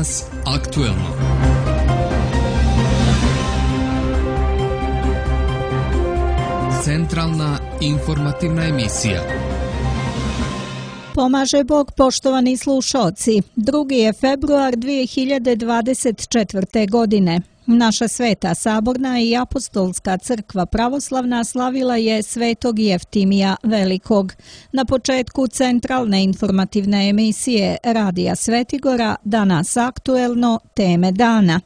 Danas aktuelno. Centralna informativna emisija. Pomaže Bog, poštovani slušaoci. 2. je februar 2024. godine. Naša Sveta Saborna i Apostolska crkva pravoslavna slavila je Svetog Jeftimija Velikog. Na početku centralne informativne emisije Radija Svetigora, Danas aktuelno, teme dana.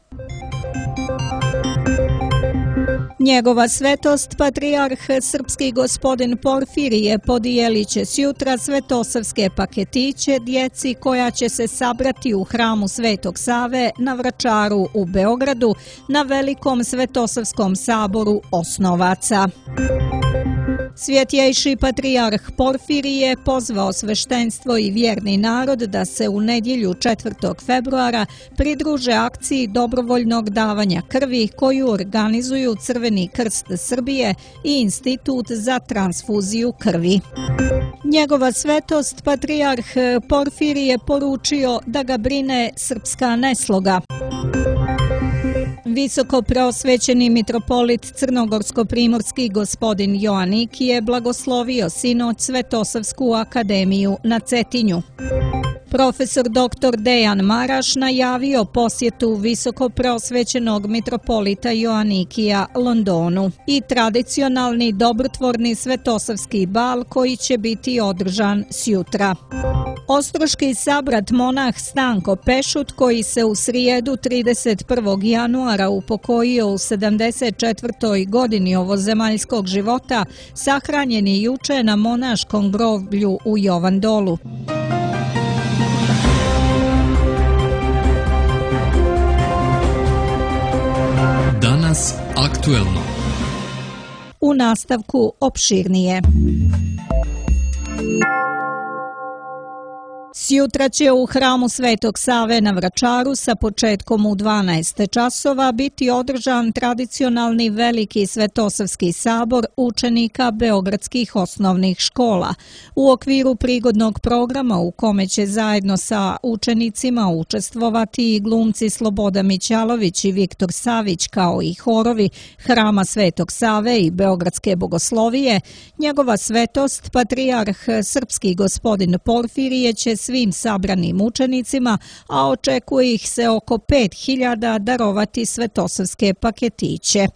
Njegova svetost, patrijarh srpski gospodin Porfirije, podijelit će sjutra svetosavske paketiće djeci koja će se sabrati u hramu Svetog Save na Vračaru u Beogradu na velikom svetosavskom saboru osnovaca. Svjetjejši patrijarh Porfirije pozvao sveštenstvo i vjerni narod da se u nedjelju 4. februara pridruže akciji dobrovoljnog davanja krvi koju organizuju Crveni krst Srbije i Institut za transfuziju krvi. Njegova svetost, patrijarh Porfirije, poručio da ga brine srpska nesloga. Visoko preosvećeni mitropolit crnogorsko-primorski gospodin Joanik je blagoslovio sinoć Svetosavsku akademiju na Cetinju. Profesor dr. Dejan Maraš najavio posjetu visoko preosvećenog mitropolita Joanikija Londonu i tradicionalni dobrotvorni svetosavski bal koji će biti održan sjutra. Ostroški sabrat monah Stanko Pešut, koji se u srijedu 31. januara upokojio u 74. godini ovozemaljskog života, sahranjen je juče na monaškom groblju u Jovandolu. Danas aktuelno. U nastavku opširnije. Sjutra će u hramu Svetog Save na Vračaru sa početkom u 12 časova biti održan tradicionalni veliki svetosavski sabor učenika beogradskih osnovnih škola. U okviru prigodnog programa u kome će zajedno sa učenicima učestvovati i glumci Sloboda Mićalović i Viktor Savić kao i horovi hrama Svetog Save i Beogradske bogoslovije, njegova svetost, patrijarh srpski gospodin Porfirije će svim sabranim učenicima, a očekuje ih se oko 5.000, darovati svetosavske paketiće.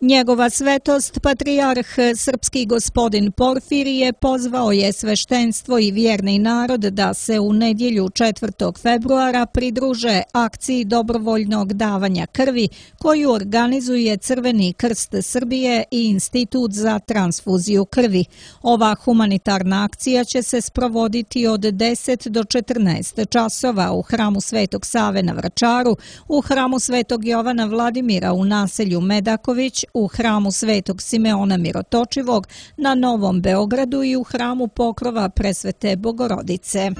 Njegova svetost, patrijarh srpski gospodin Porfirije, pozvao je sveštenstvo i vjerni narod da se u nedjelju 4. februara pridruže akciji dobrovoljnog davanja krvi koju organizuje Crveni krst Srbije i Institut za transfuziju krvi. Ova humanitarna akcija će se sprovoditi od 10 do 14 časova u hramu Svetog Save na Vračaru, u hramu Svetog Jovana Vladimira u naselju Medaković, u hramu Svetog Simeona Mirotočivog na Novom Beogradu i u hramu Pokrova Presvete Bogorodice.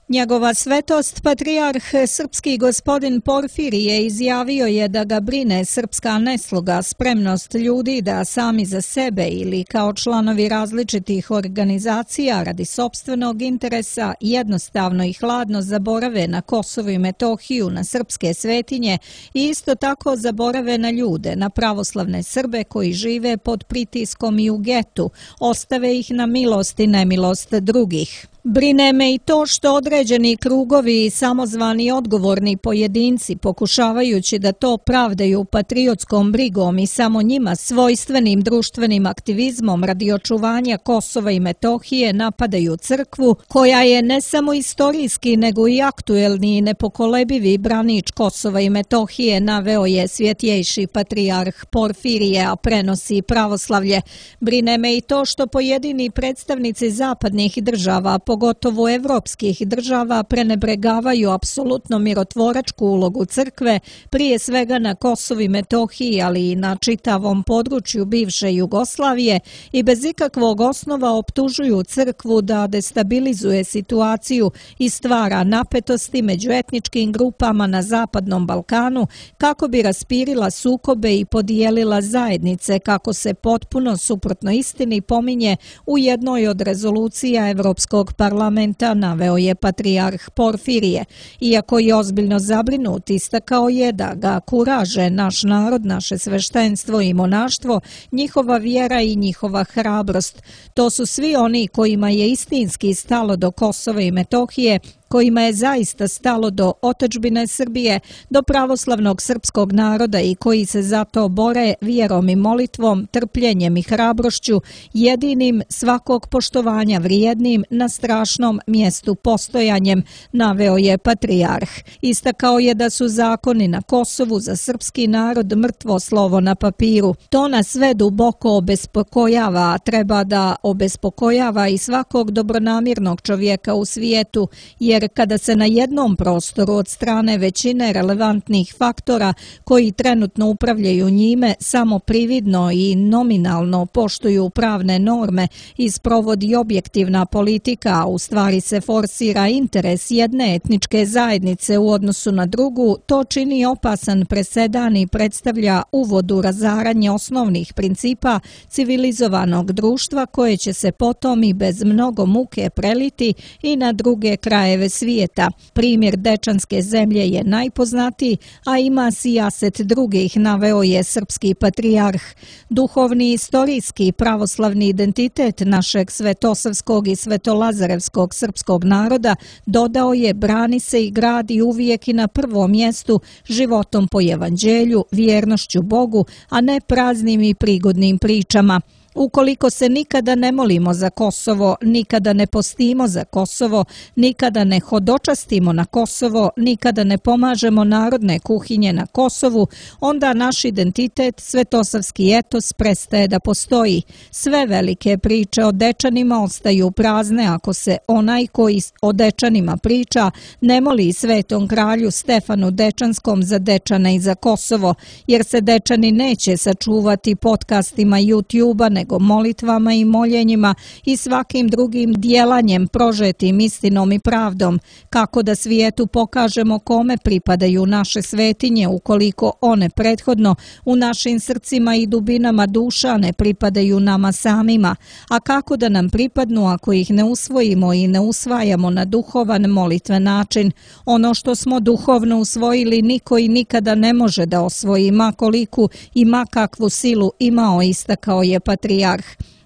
Njegova svetost, patrijarh srpski gospodin Porfirije, izjavio je da ga brine srpska nesloga, spremnost ljudi da sami za sebe ili kao članovi različitih organizacija radi sopstvenog interesa jednostavno i hladno zaborave na Kosovo i Metohiju, na srpske svetinje i isto tako zaborave na ljude, na pravoslavne Srbe koji žive pod pritiskom i u getu, ostave ih na milost i nemilost drugih. Brine me i to što određeni krugovi i samozvani odgovorni pojedinci, pokušavajući da to pravdaju patriotskom brigom i samo njima svojstvenim društvenim aktivizmom radi očuvanja Kosova i Metohije, napadaju crkvu, koja je ne samo istorijski nego i aktuelni i nepokolebivi branič Kosova i Metohije, naveo je svjetjejši patrijarh Porfirije, a prenosi pravoslavlje. Brine me i to što pojedini predstavnici zapadnih država, pogotovo evropskih država, prenebregavaju apsolutno mirotvoračku ulogu crkve, prije svega na Kosovu i Metohiji, ali i na čitavom području bivše Jugoslavije, i bez ikakvog osnova optužuju crkvu da destabilizuje situaciju i stvara napetosti među etničkim grupama na Zapadnom Balkanu kako bi raspirila sukobe i podijelila zajednice, kako se potpuno suprotno istini pominje u jednoj od rezolucija Evropskog parlamenta parlamenta, naveo je patrijarh Porfirije. Iako je ozbiljno zabrinut, istakao je da ga kuraže naš narod, naše sveštenstvo i monaštvo, njihova vjera i njihova hrabrost. To su svi oni kojima je istinski stalo do Kosova i Metohije, kojima je zaista stalo do otadžbine Srbije, do pravoslavnog srpskog naroda i koji se zato bore vjerom i molitvom, trpljenjem i hrabrošću, jedinim svakog poštovanja vrijednim na strašnom mjestu postojanjem, naveo je patrijarh. Istakao je da su zakoni na Kosovu za srpski narod mrtvo slovo na papiru. To nas sve duboko obespokojava, a treba da obespokojava i svakog dobronamjernog čovjeka u svijetu, jer kada se na jednom prostoru od strane većine relevantnih faktora koji trenutno upravljaju njime samo prividno i nominalno poštuju pravne norme i sprovodi objektivna politika, a u stvari se forsira interes jedne etničke zajednice u odnosu na drugu, to čini opasan presedan i predstavlja uvod u razaranje osnovnih principa civilizovanog društva koje će se potom i bez mnogo muke preliti i na druge krajeve svijeta. Primjer Dečanske zemlje je najpoznatiji, a ima sijaset drugih, naveo je srpski patrijarh. Duhovni, istorijski, pravoslavni identitet našeg svetosavskog i svetolazarevskog srpskog naroda, dodao je, brani se i gradi uvijek i na prvom mjestu životom po evanđelju, vjernošću Bogu, a ne praznim i prigodnim pričama. Ukoliko se nikada ne molimo za Kosovo, nikada ne postimo za Kosovo, nikada ne hodočastimo na Kosovo, nikada ne pomažemo narodne kuhinje na Kosovu, onda naš identitet, svetosavski etos, prestaje da postoji. Sve velike priče o Dečanima ostaju prazne ako se onaj koji o Dečanima priča ne moli svetom kralju Stefanu Dečanskom za Dečane i za Kosovo, jer se Dečani neće sačuvati podcastima YouTube-a, nego molitvama i moljenjima i svakim drugim djelanjem prožetim istinom i pravdom, kako da svijetu pokažemo kome pripadaju naše svetinje ukoliko one prethodno u našim srcima i dubinama duša ne pripadaju nama samima, a kako da nam pripadnu ako ih ne usvojimo i ne usvajamo na duhovan molitven način. Ono što smo duhovno usvojili niko i nikada ne može da osvoji, ma koliku i ma kakvu silu imao, istakao je patrijarh.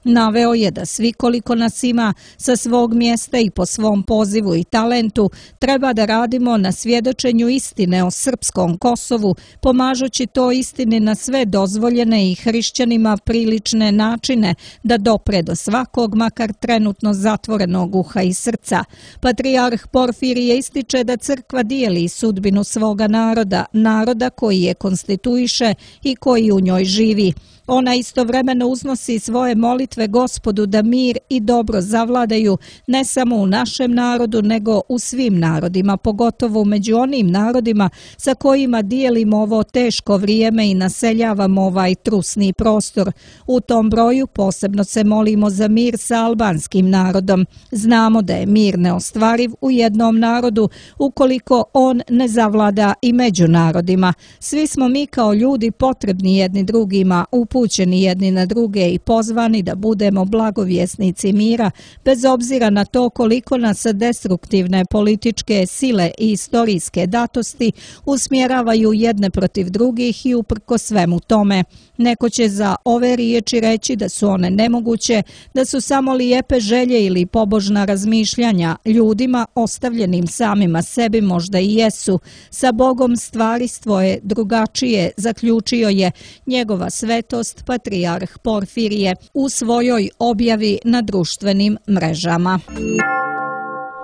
Naveo je da svi koliko nas ima sa svog mjesta i po svom pozivu i talentu treba da radimo na svjedočenju istine o srpskom Kosovu, pomažući to istini na sve dozvoljene i hrišćanima prilične načine da dopre do svakog, makar trenutno zatvorenog uha i srca. Patrijarh Porfirije ističe da crkva dijeli sudbinu svoga naroda, naroda koji je konstituiše i koji u njoj živi. Ona istovremeno uznosi svoje molitve Gospodu da mir i dobro zavladaju ne samo u našem narodu, nego u svim narodima, pogotovo među onim narodima sa kojima dijelimo ovo teško vrijeme i naseljavamo ovaj trusni prostor. U tom broju posebno se molimo za mir sa albanskim narodom. Znamo da je mir neostvariv u jednom narodu ukoliko on ne zavlada i među narodima. Svi smo mi kao ljudi potrebni jedni drugima, upućeni jedni na druge i pozvani da budemo blagovjesnici mira, bez obzira na to koliko nas destruktivne političke sile i istorijske datosti usmjeravaju jedne protiv drugih i uprko svemu tome. Neko će za ove riječi reći da su one nemoguće, da su samo lijepe želje ili pobožna razmišljanja. Ljudima ostavljenim samima sebi možda i jesu. Sa Bogom stvari svoje drugačije, zaključio je njegova svetost patrijarh Porfirije u svojoj objavi na društvenim mrežama.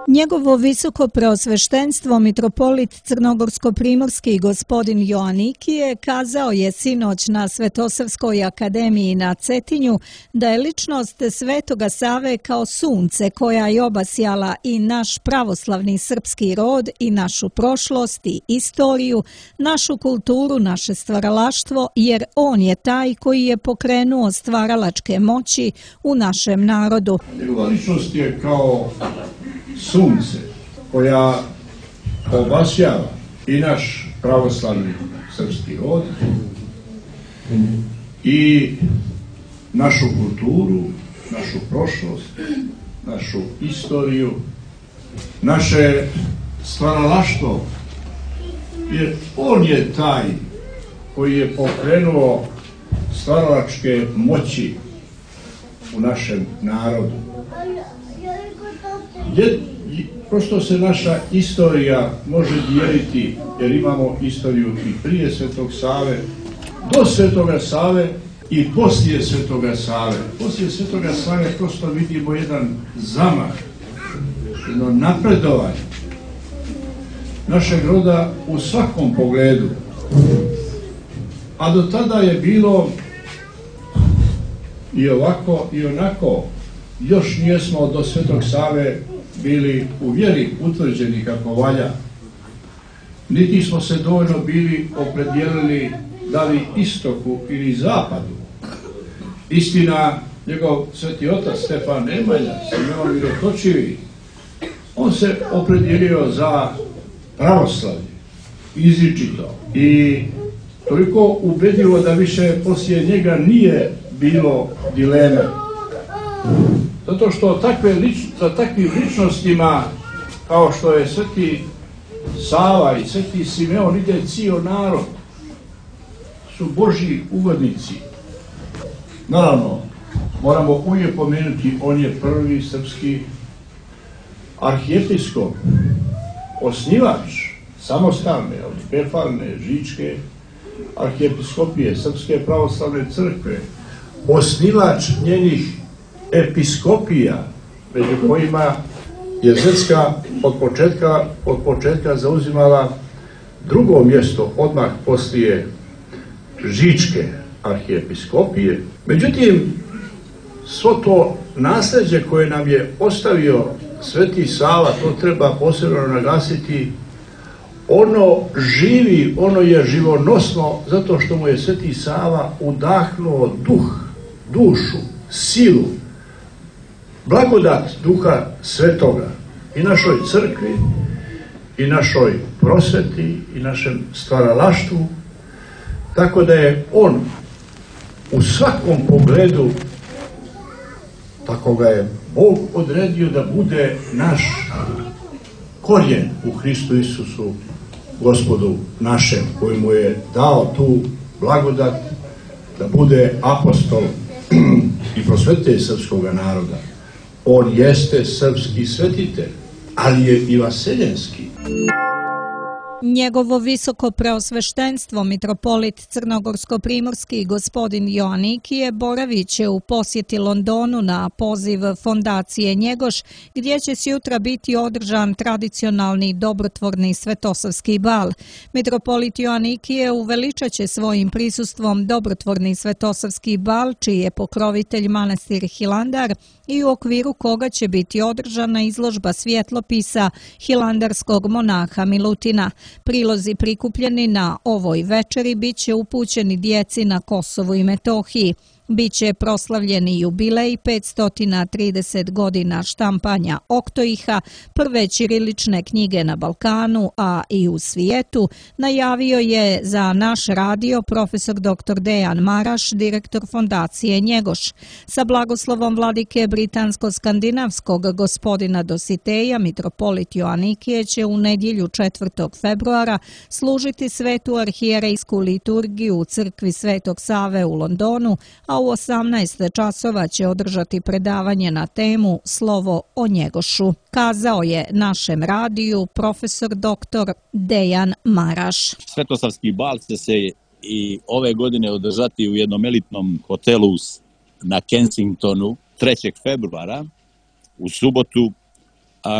Njegovo visoko preosveštenstvo mitropolit Crnogorsko-primorski gospodin Joanikije kazao je sinoć na Svetosavskoj akademiji na Cetinju da je ličnost Svetoga Save kao sunce koja je obasjala i naš pravoslavni srpski rod i našu prošlost i istoriju, našu kulturu, naše stvaralaštvo, jer on je taj koji je pokrenuo stvaralačke moći u našem narodu. Njegova ličnost je kao sunce koja obasjava i naš pravoslavni srpski rod i našu kulturu, našu prošlost, našu istoriju naše stvaralaštvo, jer on je taj koji je pokrenuo stvaralačke moći u našem narodu. Prosto se naša istorija može dijeliti, jer imamo istoriju i prije Svetog Save, do Svetoga Save i poslije Svetoga Save. Poslije Svetoga Save prosto vidimo jedan zamah, jedno napredovanje našeg roda u svakom pogledu. A do tada je bilo i ovako i onako. Još nijesmo do Svetog Save bili u vjeri utvrđeni kako valja. Niti smo se dovoljno bili opredijelili da li istoku ili zapadu. Istina, njegov sveti otac Stefan Nemanja, Simeon Mirotočivi, on se opredijelio za pravoslavlje, izričito i toliko ubedljivo da više poslije njega nije bilo dileme. Zato što za takvim ličnostima kao što je sveti Sava i sveti Simeon ide cijel narod, su Božji ugodnici. Naravno, moramo uvijek pomenuti, on je prvi srpski arhijepiskop, osnivač samostalne, autokefalne, žičke arhijepiskopije, Srpske pravoslavne crkve, osnivač njenih episkopija, među kojima je Zrska od početka zauzimala drugo mjesto odmah poslije žičke arhijepiskopije. Međutim, svo to nasljeđe koje nam je ostavio sveti Sava, to treba posebno naglasiti, ono živi, ono je živonosno zato što mu je sveti Sava udahnuo dušu, silu, blagodat Duha Svetoga i našoj crkvi, i našoj prosveti, i našem stvaralaštvu, tako da je on u svakom pogledu, tako ga je Bog odredio da bude naš korijen u Hristu Isusu, Gospodu našem, koji mu je dao tu blagodat da bude apostol i prosvetitelj srpskog naroda. On jeste srpski svetitelj, ali je i vaseljenski. Njegovo visoko preosveštenstvo mitropolit Crnogorsko-primorski gospodin Joanikije boravit će u posjeti Londonu na poziv fondacije Njegoš, gdje će sutra biti održan tradicionalni dobrotvorni svetosavski bal. Mitropolit Joanikije uveličat će svojim prisustvom dobrotvorni svetosavski bal, čiji je pokrovitelj manastir Hilandar i u okviru koga će biti održana izložba svjetlopisa hilandarskog monaha Milutina. Prilozi prikupljeni na ovoj večeri bit će upućeni djeci na Kosovu i Metohiji. Biće proslavljeni jubilej 530 godina štampanja Oktoiha, prve ćirilične knjige na Balkanu, a i u svijetu, najavio je za naš radio profesor dr. Dejan Maraš, direktor fondacije Njegoš. Sa blagoslovom vladike britansko-skandinavskog gospodina Dositeja, mitropolit Joanikije će u nedjelju 4. februara služiti svetu arhijerejsku liturgiju u crkvi Svetog Save u Londonu, a u 18 časova će održati predavanje na temu Slovo o Njegošu, kazao je našem radiju profesor dr. Dejan Maraš. Svetosavski bal će se i ove godine održati u jednom elitnom hotelu na Kensingtonu 3. februara u subotu,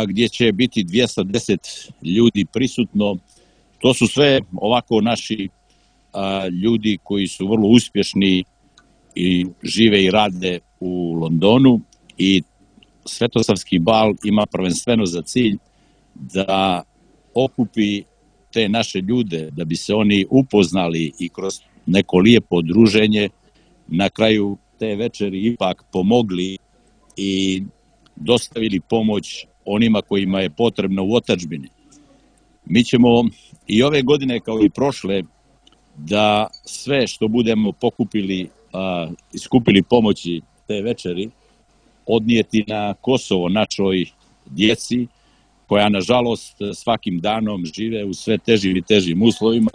gdje će biti 210 ljudi prisutno. To su sve ovako naši ljudi koji su vrlo uspješni i žive i rade u Londonu, i Svetosavski bal ima prvenstveno za cilj da okupi te naše ljude, da bi se oni upoznali i kroz neko lijepo druženje na kraju te večeri ipak pomogli i dostavili pomoć onima kojima je potrebno u otadžbini. Mi ćemo i ove godine kao i prošle da sve što budemo pokupili i skupili pomoći te večeri odnijeti na Kosovo našoj djeci koja nažalost svakim danom žive u sve težim i težim uslovima,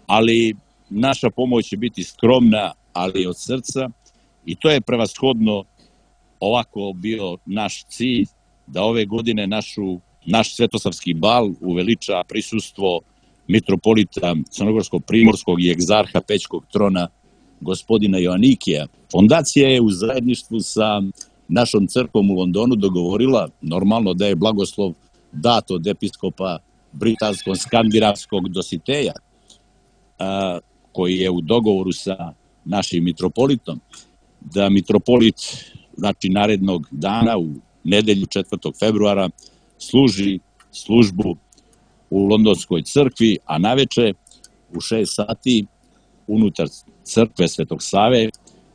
ali naša pomoć će biti skromna, ali od srca, i to je prevashodno ovako bio naš cilj, da ove godine naš svetosavski bal uveliča prisustvo mitropolita Crnogorsko-primorskog i egzarha Pećkog trona gospodina Joanikija. Fondacija je u zajedništvu sa našom crkvom u Londonu dogovorila normalno da je blagoslov dat od episkopa britansko-skandinavskog Dositeja, koji je u dogovoru sa našim mitropolitom, da mitropolit, znači narednog dana u nedelju 4. februara služi službu u Londonskoj crkvi, a naveče u 6 sati unutar crkve Svetog Save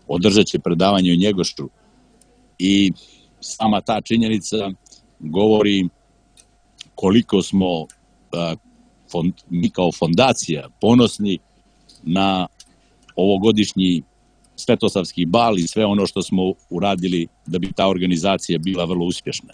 održat će predavanje o Njegošu. I sama ta činjenica govori koliko smo mi kao fondacija ponosni na ovogodišnji svetosavski bal i sve ono što smo uradili da bi ta organizacija bila vrlo uspješna.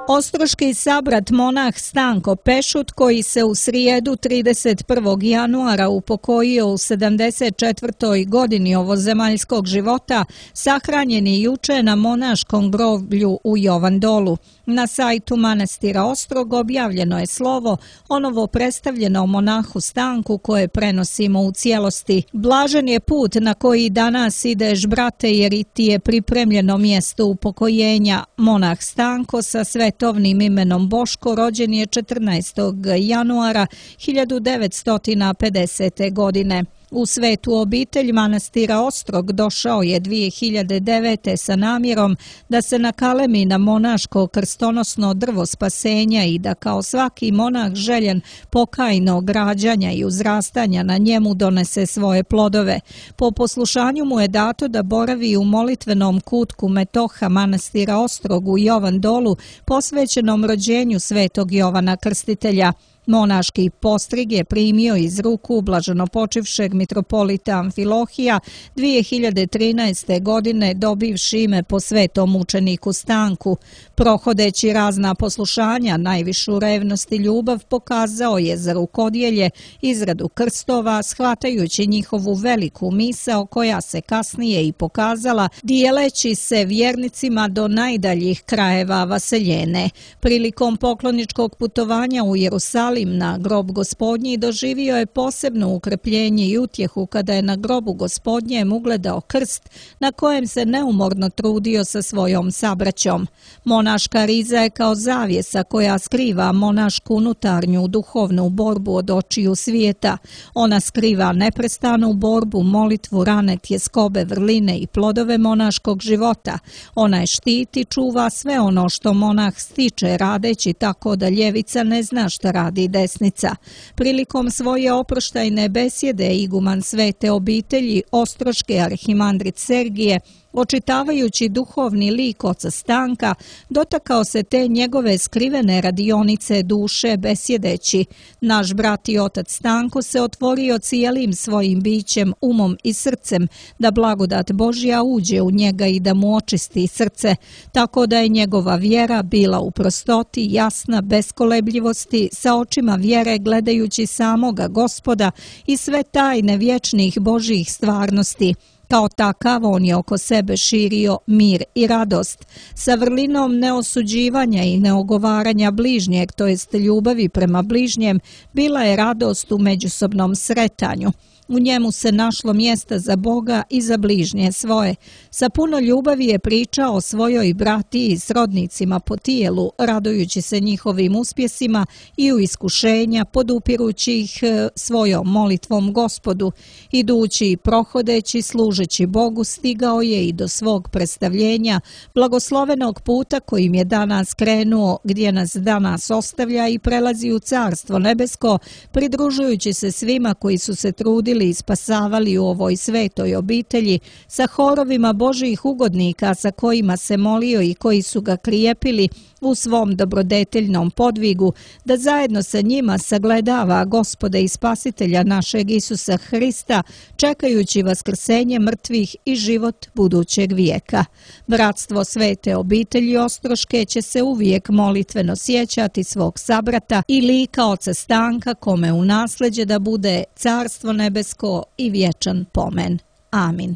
Ostroški sabrat monah Stanko Pešut, koji se u srijedu 31. januara upokojio u 74. godini ovozemaljskog života, sahranjen je juče na monaškom groblju u Jovandolu. Na sajtu manastira Ostrog objavljeno je slovo o novo predstavljenom monahu Stanku koje prenosimo u cijelosti. Blažen je put na koji danas ideš, brate, jer ti je pripremljeno mjesto upokojenja. Monah Stanko sa svetovnim imenom Boško rođen je 14. januara 1950. godine. U svetu obitelj manastira Ostrog došao je 2009. sa namjerom da se nakalemi na monaško krstonosno drvo spasenja i da kao svaki monah željen pokajnog rađanja i uzrastanja na njemu donese svoje plodove. Po poslušanju mu je dato da boravi u molitvenom kutku metoha manastira Ostrog u Jovandolu posvećenom rođenju svetog Jovana Krstitelja. Monaški postrig je primio iz ruku blaženopočivšeg mitropolita Amfilohija 2013. godine dobivši ime po svetom učeniku Stanku. Prohodeći razna poslušanja, najvišu revnost i ljubav pokazao je za rukodjelje, izradu krstova, shvatajući njihovu veliku misao koja se kasnije i pokazala dijeleći se vjernicima do najdaljih krajeva vaseljene. Prilikom pokloničkog putovanja u Jerusalim na grob Gospodnji doživio je posebno ukrepljenje i utjehu kada je na grobu Gospodnjem ugledao krst na kojem se neumorno trudio sa svojom sabraćom. Monaška riza je kao zavjesa koja skriva monašku unutarnju duhovnu borbu od očiju svijeta. Ona skriva neprestanu borbu, molitvu, rane, tjeskobe, vrline i plodove monaškog života. Ona je štiti, čuva sve ono što monah stiče radeći tako da ljevica ne zna šta radi desnica. Prilikom svoje oproštajne besjede iguman svete obitelji Ostroške arhimandrit Sergije, očitavajući duhovni lik oca Stanka, dotakao se te njegove skrivene radionice duše besjedeći: naš brat i otac Stanko se otvorio cijelim svojim bićem, umom i srcem da blagodat Božja uđe u njega i da mu očisti srce, tako da je njegova vjera bila u prostoti, jasna, bez kolebljivosti, sa očima vjere gledajući samoga Gospoda i sve tajne vječnih Božjih stvarnosti. Kao takav on je oko sebe širio mir i radost. Sa vrlinom neosuđivanja i neogovaranja bližnjeg, to jest ljubavi prema bližnjem, bila je radost u međusobnom sretanju. U njemu se našlo mjesta za Boga i za bližnje svoje. Sa puno ljubavi je pričao o svojoj bratiji i srodnicima po tijelu, radujući se njihovim uspjesima i u iskušenja, podupirući ih svojom molitvom Gospodu. Idući i prohodeći, služeći Bogu, stigao je i do svog predstavljenja, blagoslovenog puta kojim je danas krenuo, gdje nas danas ostavlja i prelazi u Carstvo nebesko, pridružujući se svima koji su se trudili vodili i spasavali u ovoj svetoj obitelji, sa horovima Božjih ugodnika sa kojima se molio i koji su ga krijepili u svom dobrodeteljnom podvigu, da zajedno sa njima sagledava Gospoda i Spasitelja našeg Isusa Hrista, čekajući vaskrsenje mrtvih i život budućeg vijeka. Bratstvo svete obitelji Ostroške će se uvijek molitveno sjećati svog sabrata i lika oca Stanka, kome u nasleđe da bude carstvo nebesko i vječan pomen. Amin.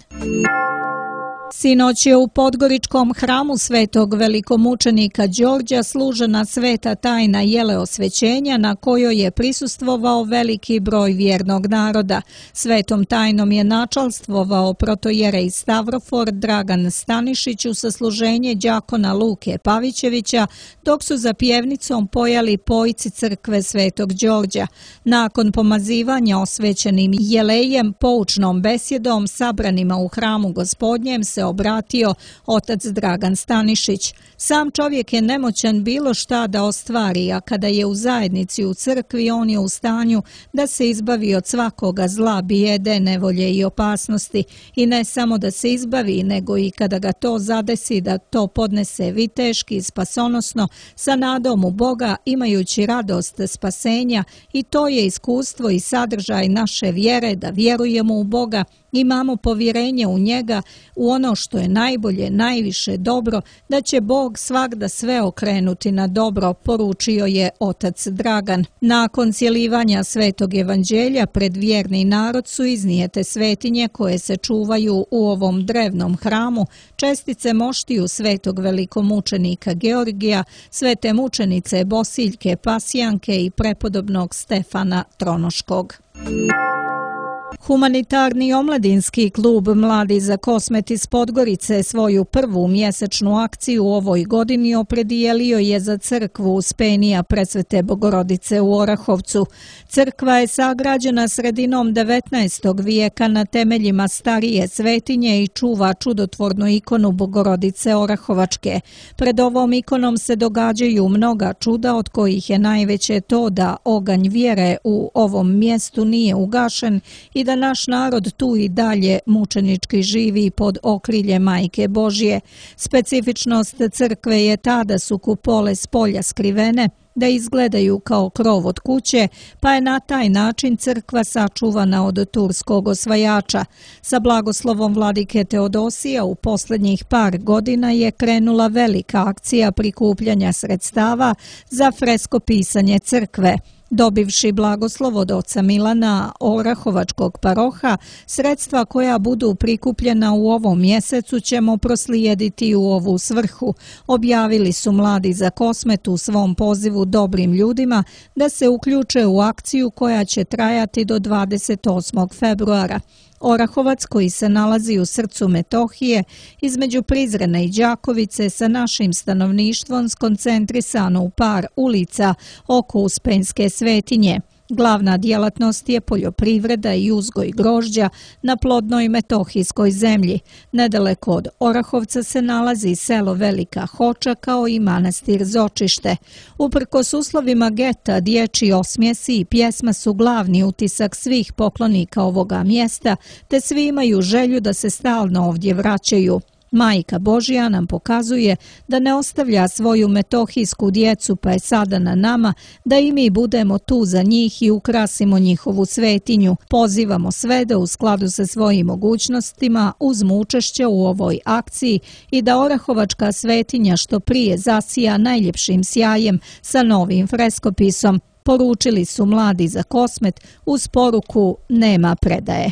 Sinoć je u Podgoričkom hramu svetog velikomučenika Đorđa služena sveta tajna jeleosvećenja na kojoj je prisustvovao veliki broj vjernog naroda. Svetom tajnom je načalstvovao protojerej Stavrofor Dragan Stanišić u sasluženje đakona Luke Pavićevića, dok su za pjevnicom pojali pojci crkve svetog Đorđa. Nakon pomazivanja osvećenim jelejem, poučnom besjedom sabranima u hramu Gospodnjem se obratio otac Dragan Stanišić. Sam čovjek je nemoćan bilo šta da ostvari, a kada je u zajednici u crkvi, on je u stanju da se izbavi od svakoga zla, bijede, nevolje i opasnosti. I ne samo da se izbavi, nego i kada ga to zadesi, da to podnese viteški, spasonosno, sa nadom u Boga, imajući radost spasenja, i to je iskustvo i sadržaj naše vjere, da vjerujemo u Boga, imamo povjerenje u njega, u ono što je najbolje, najviše dobro, da će Bog svagda sve okrenuti na dobro, poručio je otac Dragan. Nakon cjelivanja svetog evanđelja pred vjerni narod su iznijete svetinje koje se čuvaju u ovom drevnom hramu, čestice moštiju svetog velikomučenika Georgija, svete mučenice Bosiljke Pasijanke i prepodobnog Stefana Tronoškog. Humanitarni omladinski klub Mladi za Kosmet iz Podgorice svoju prvu mjesečnu akciju u ovoj godini opredijelio je za crkvu Uspenija Presvete Bogorodice u Orahovcu. Crkva je sagrađena sredinom 19. vijeka na temeljima starije svetinje i čuva čudotvornu ikonu Bogorodice Orahovačke. Pred ovom ikonom se događaju mnoga čuda, od kojih je najveće to da oganj vjere u ovom mjestu nije ugašen i da naš narod tu i dalje mučenički živi pod okrilje Majke Božje. Specifičnost crkve je ta da su kupole s polja skrivene, da izgledaju kao krov od kuće, pa je na taj način crkva sačuvana od turskog osvajača. Sa blagoslovom vladike Teodosija u posljednjih par godina je krenula velika akcija prikupljanja sredstava za freskopisanje crkve. Dobivši blagoslov od oca Milana Orahovačkog paroha, sredstva koja budu prikupljena u ovom mjesecu ćemo proslijediti u ovu svrhu, objavili su Mladi za Kosmet u svom pozivu dobrim ljudima da se uključe u akciju koja će trajati do 28. februara. Orahovac, koji se nalazi u srcu Metohije, između Prizrena i Đakovice, sa našim stanovništvom skoncentrisano u par ulica oko Uspenjske svetinje. Glavna djelatnost je poljoprivreda i uzgoj grožđa na plodnoj metohijskoj zemlji. Nedaleko od Orahovca se nalazi selo Velika Hoča kao i manastir Zočište. Uprkos uslovima geta, dječji osmjesi i pjesma su glavni utisak svih poklonika ovoga mjesta, te svi imaju želju da se stalno ovdje vraćaju. Majka Božja nam pokazuje da ne ostavlja svoju metohijsku djecu, pa je sada na nama da i mi budemo tu za njih i ukrasimo njihovu svetinju. Pozivamo sve da u skladu sa svojim mogućnostima uzmu učešće u ovoj akciji i da Orahovačka svetinja što prije zasija najljepšim sjajem sa novim freskopisom, poručili su Mladi za Kosmet uz poruku nema predaje.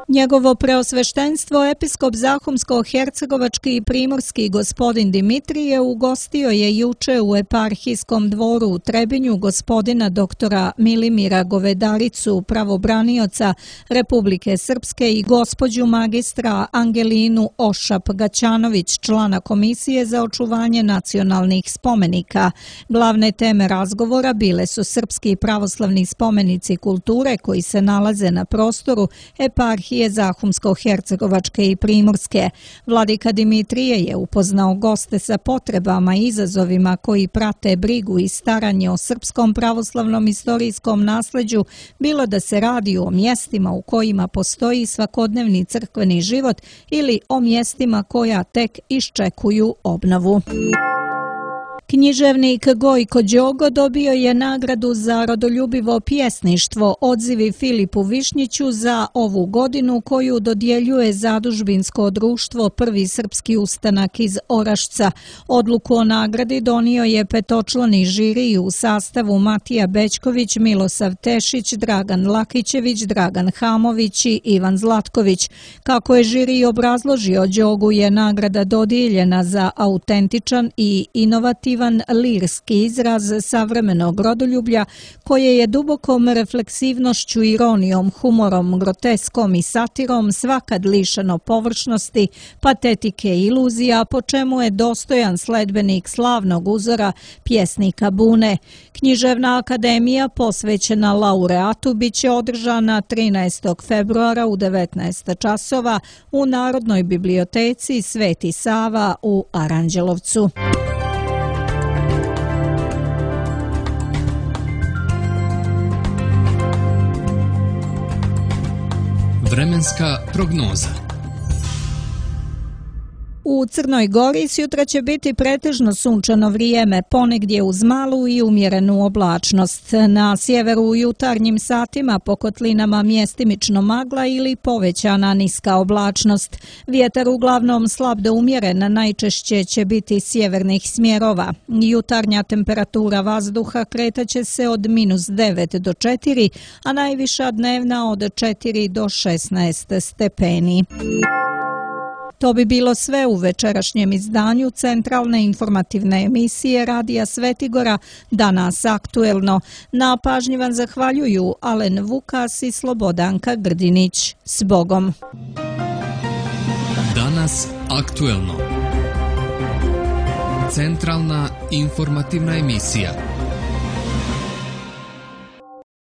Njegovo preosveštenstvo episkop Zahumsko-hercegovački i primorski gospodin Dimitrije ugostio je juče u eparhijskom dvoru u Trebinju gospodina doktora Milimira Govedaricu, pravobranioca Republike Srpske, i gospođu magistra Angelinu Ošap-Gaćanović, člana Komisije za očuvanje nacionalnih spomenika. Glavne teme razgovora bile su srpski pravoslavni spomenici kulture koji se nalaze na prostoru eparhije eparhije Zahumsko-Hercegovačke i Primorske. Vladika Dimitrije je upoznao goste sa potrebama i izazovima koji prate brigu i staranje o srpskom pravoslavnom istorijskom nasleđu, bilo da se radi o mjestima u kojima postoji svakodnevni crkveni život ili o mjestima koja tek iščekuju obnovu. Književnik Gojko Đogo dobio je nagradu za rodoljubivo pjesništvo Odzivi Filipu Višnjiću za ovu godinu, koju dodjeljuje Zadužbinsko društvo Prvi srpski ustanak iz Orašca. Odluku o nagradi donio je petočlani žiri u sastavu Matija Bećković, Milosav Tešić, Dragan Lakićević, Dragan Hamović i Ivan Zlatković. Kako je žiri obrazložio, Đogu je nagrada dodijeljena za autentičan i inovativan lirski izraz savremenog rodoljublja, koje je dubokom refleksivnošću, ironijom, humorom, groteskom i satirom svakad lišeno površnosti, patetike i iluzija, po čemu je dostojan sledbenik slavnog uzora pjesnika Bune. Književna akademija posvećena laureatu biće održana 13. februara u 19 časova u Narodnoj biblioteci Sveti Sava u Aranđelovcu. Vremenska prognoza. U Crnoj Gori sutra će biti pretežno sunčano vrijeme, ponegdje uz malu i umjerenu oblačnost. Na sjeveru u jutarnjim satima po kotlinama mjestimično magla ili povećana niska oblačnost. Vjetar uglavnom slab do umjeren, najčešće će biti sjevernih smjerova. Jutarnja temperatura vazduha kretaće se od -9 do 4, a najviša dnevna od 4 do 16 stepeni. To bi bilo sve u večerašnjem izdanju centralne informativne emisije Radija Svetigora, Danas aktuelno. Na pažnji vam zahvaljuju Alen Vukas i Slobodanka Grdinić. S Bogom! Danas aktuelno. Centralna informativna emisija.